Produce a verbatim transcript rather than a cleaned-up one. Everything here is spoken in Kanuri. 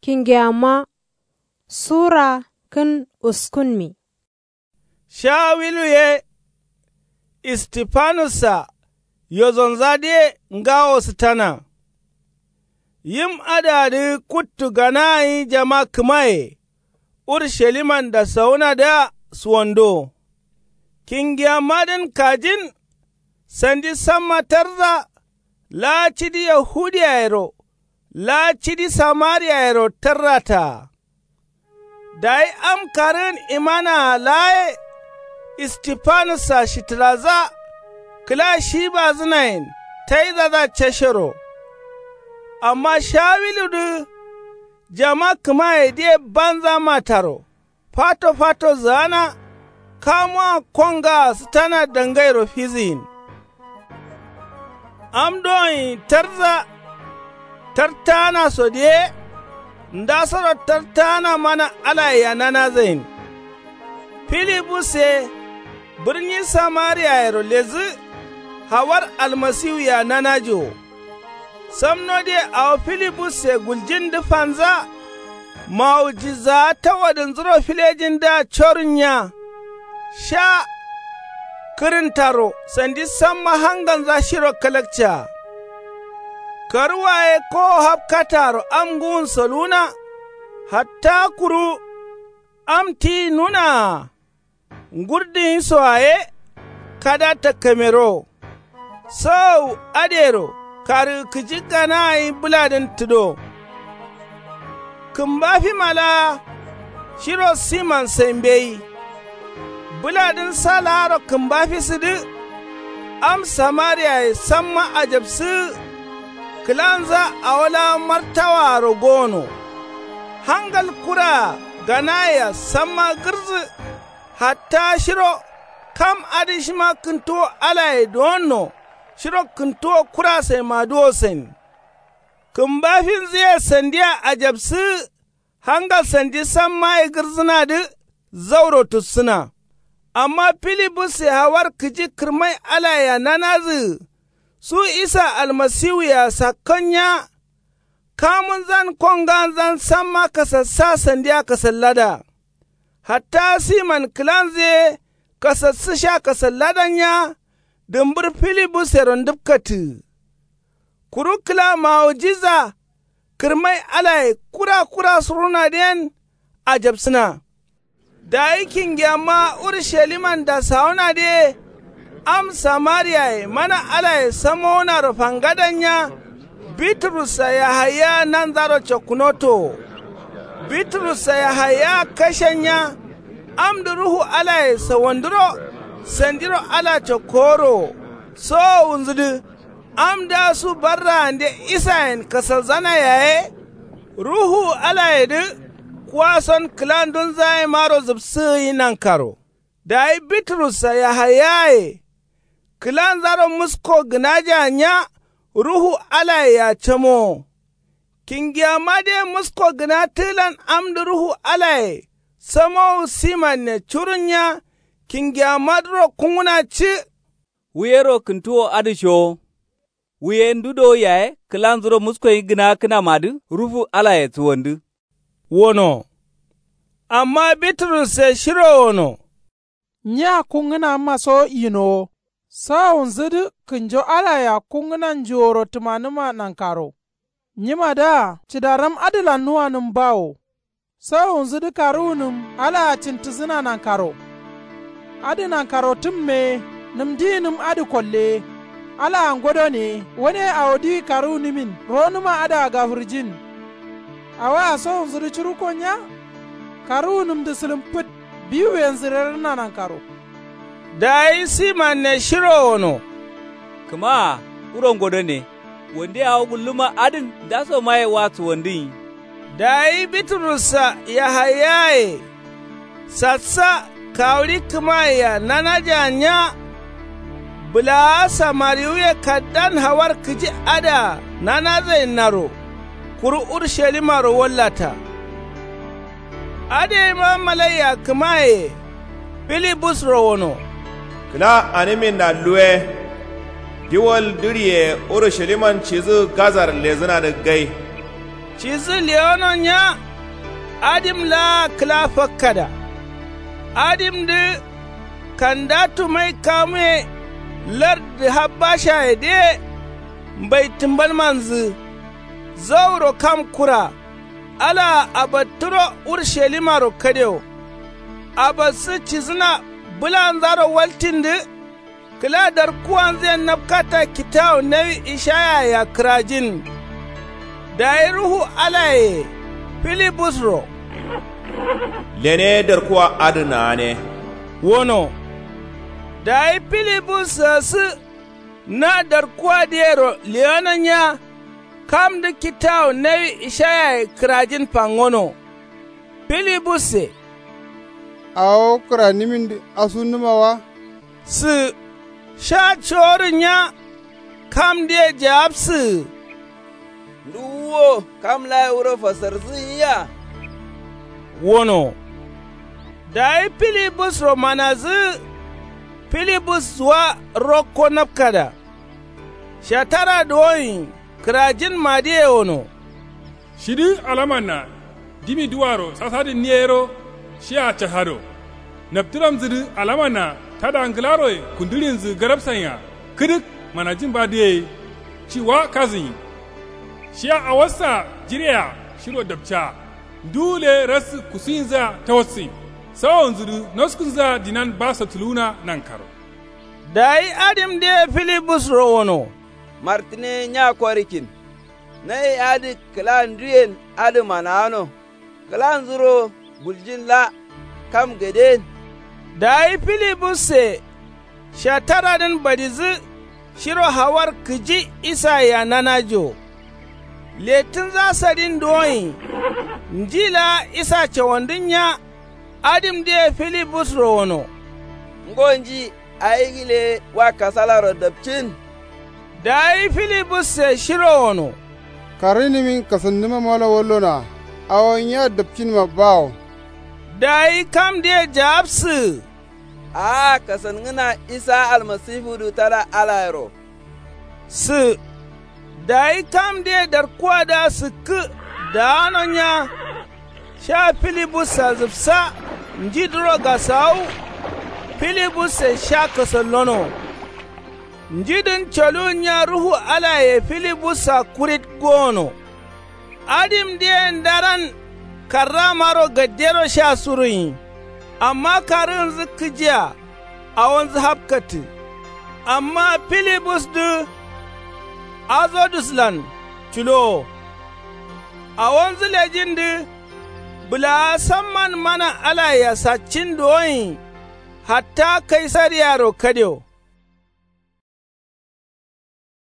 Kingeyamma sura kǝn uskunmi. Shawilu ye istifanussa yozonza diye ngawo sǝtana. Yim adǝ adǝ kuttu gana gǝnyi jama kǝmaye ursaliman dasawunadǝa suwando. Kingiyammadǝn kajin sandi samma tarza laa cidi yahudiyayero laa cidi samariyayero tarrataa. Dayi am karǝgǝn imanaa laa ye istifanussa shitǝraza kǝla shibazǝnayen taizadǝa cashero. Amma shawiludǝ jama kǝmayedǝye banza mataro fato fato zǝgana kamuwa kongaa sǝtana dangairo fizǝgin. Am dogǝnyi tarza tartaana so diye ndasoro tartaana mana alayea nanazagin. Filibus ye bǝrni samariyayero lezǝ hawar almasiwuyea nanaji wo. Samno diye awo filibusse guljindǝ fanza mawujizaa tawadǝnzuro filejindǝa corǝnnya. Sha kǝrǝntaro sandi samma hangalnza shiro kalakcaa. Karuwa ye kowo hapkataaro am ngǝwun soluna. Hatta kuru am tiyi nunaa ngurdǝnyisoa ye kada takkamero. Sawawu adǝyero karǝgǝ kǝji gana gǝnyi bǝladǝn tǝdo. Kǝmbafima laa shiro siman sai mbeyi. Bǝladǝn sa laaro kǝmbafisǝdǝ am samariyaye samma ajabsǝgǝ. Kǝlanza awo laa martawaaro gono. Hangal kuraa ganayea samma gǝrǝzǝ. Hatta shiro kam adǝ shima kǝntuwo alaye duwonno shiro kǝntuwo kura saimadǝ wo sain. Kǝmbafinzǝye sandia ajabsǝgǝ. Hangal sandi sammaye gǝrzǝnadǝ zauro tussǝna. Amma filibusse hawar kǝji kǝrmai alayea nanazǝgǝ su isa almasiwuyea sakkonnya. Kamunzan konganzan samma kasassa sandia kasallada. Hatta siman kǝlanzǝ ye kasassǝ sha kasalladannya. Dǝmbǝr filibusero ndǝpkatǝgǝ. Kuru kǝla mawujiza kǝrmai alaye kura kura surunadǝ yen ajabsǝna. Dayi kingiyamma urushaliman dasawunadǝ ye am samariyaye mana alaye samowunaro fangadannya. Biturussa yahaya nanzaro cokkunoto wo. Biturussa yahaya kashennya. Amdǝ ruhu alaye sawanduro sandiro ala cokkoworo wo. Sowowunzǝdǝ amdǝa su barraande isayen kasalzana yaye. Ruhu alayedǝ kuwason kǝlandunzayemaro zǝpsǝgǝ gǝnyi nankaro. Dayi biturussa yahayaye kǝlanzaro musko gǝnaja nya. Ruhu alayea camowo. Kingiyamma diye musko gǝna tǝgǝlan amdǝ ruhu alaye samowu simanne curunnya. Kingiyammadǝro kungǝna ci. Wuyero kǝntuwo adǝ showo. Wuye ndu do yaye kǝlanzuro muskoyi gǝna kǝnamadǝ ruhu alaye suwandǝ. Wono. Amma biturusse shiro wono. Nyi akkungǝnamma so yinowo. Sawowunzǝdǝ kǝnjo alayea kungǝna njuworo tǝmanǝma nankaro. Nyimadǝa cǝdaram adǝlannuwanǝm bawo. Sawowunzǝdǝ karuwunǝm alaa cǝntǝsǝna nankaro. Adǝ nankaro tǝmmeye nǝmdiyinǝm adǝ kolleye. Alaa ngodoneye wane awo diwi karuwunǝmin ronǝma adǝa gafǝrjin. Awaa sowonzǝdǝ curuko nya. Karuwunǝmdǝ sǝlǝm fǝt biwuyenzǝ rerǝnna nankaro. Dayi simanne shiro wono. Kǝmaa wuro ngodone. Wande awo gulluma adǝn ndasomaye wa suwandǝnyi. Dayi biturussa yahayaye sassa kawuɍi kǝmayea nanaja nya. Bǝlaa samariwuye kaddan hawar kǝji adǝa nanazainnaro kuru urushalimaro wallata. Adǝ yeima malaiya kǝmayeye filibusro wono. Kǝla animinna luwe. Diwol dǝɍiye urusaliman cidǝ gazar ledǝnadǝ gai. Cidǝ lewono nya. Adim laa kǝla fakkada. Adimdǝ kanda tumai kamuye. Lardǝ habbashaye dǝye. Mbai tǝmbalmanzǝ zauro kam kura. Alaa abattǝro urushalimaro kadewo. Abassǝ cidǝna bǝlanzaro waltindǝ. Kǝla darkuwanzǝyen nabkata kitawu nawi ishayayea kǝrajin. Dayi ruhu alaye filibusro. Lene darkuwa adǝ naane. Wono. Dayi filibus sǝgǝsǝ. Na darkuwa dǝyero lewono nya. Kamdǝ kitawu nawi ishayaye kǝrajin fangono. Filibusse. Awo kǝranimin dǝ asunnǝma wa? Sǝ. Sha coworǝ nya. Kamdǝye jawabsǝ. Nduwuwo kam laye wuro fasarzǝ nyiya? Wono. Dayi filibusro manazǝ. Filibus wa rokko nabkada. Shatara duwonyi kǝrajin madǝye wono. Shidǝ alamanna dimi duwaro sasadǝnniye yero. Shiya cashado. Naptǝramzǝdǝ alamanna tada ngǝlaroye kundǝrinzǝ garabsanya. Kǝdǝk manajin badǝ ye. Ci wa kazǝnyi. Shiya awossa jireya shiro dapca. Nduwu gǝle rassǝ kusuyinzǝa tawassǝnyi. Sawonzǝdǝ noskǝnzǝa dinan ba saptǝluwuna nankaro. Dayi adimdǝye filibusro wono. Martǝne nya korikin. Nawi adǝ kǝla nduyen adǝ manawano. Kǝlanzuro guljin la kam gaden. Dayi filibusse. Shataradǝn badizǝ shiro hawar kǝji isayea nanajo. Lettǝnza sadin duwonyi. Nji laa isa cawandǝn nya. Adimdǝye filibusro wono. Ngonji ayi gǝle wa kasalaro dapcin? Dayi filibusse shiro wono. Karǝnimin kasannǝma malo wallonoa. Awo nya dapcinma bawo. Dayi kamdǝye jawabsǝ. A'a kasangǝna isa almasifudǝ tada alayero. Sǝ. Dayi kamdǝye darkuwadǝa sǝkkǝ daano nya. Sha filibussa zǝfsa njidǝro gasawu. Filibusse sha kasallono. Njidǝn coluwun nya ruhu alaye filibussa kurit gowono. Adimdǝye ndaran karramaro gaddero sha surunyi. Amma karǝgǝnzǝ kǝjia awonzǝ hapkattǝ. Amma filibusdǝ azoduslan culowo. Awonzǝ lejindǝ bǝlawa samman mana alayea saccin duwonyi. Hatta kaisariyaro kadewo.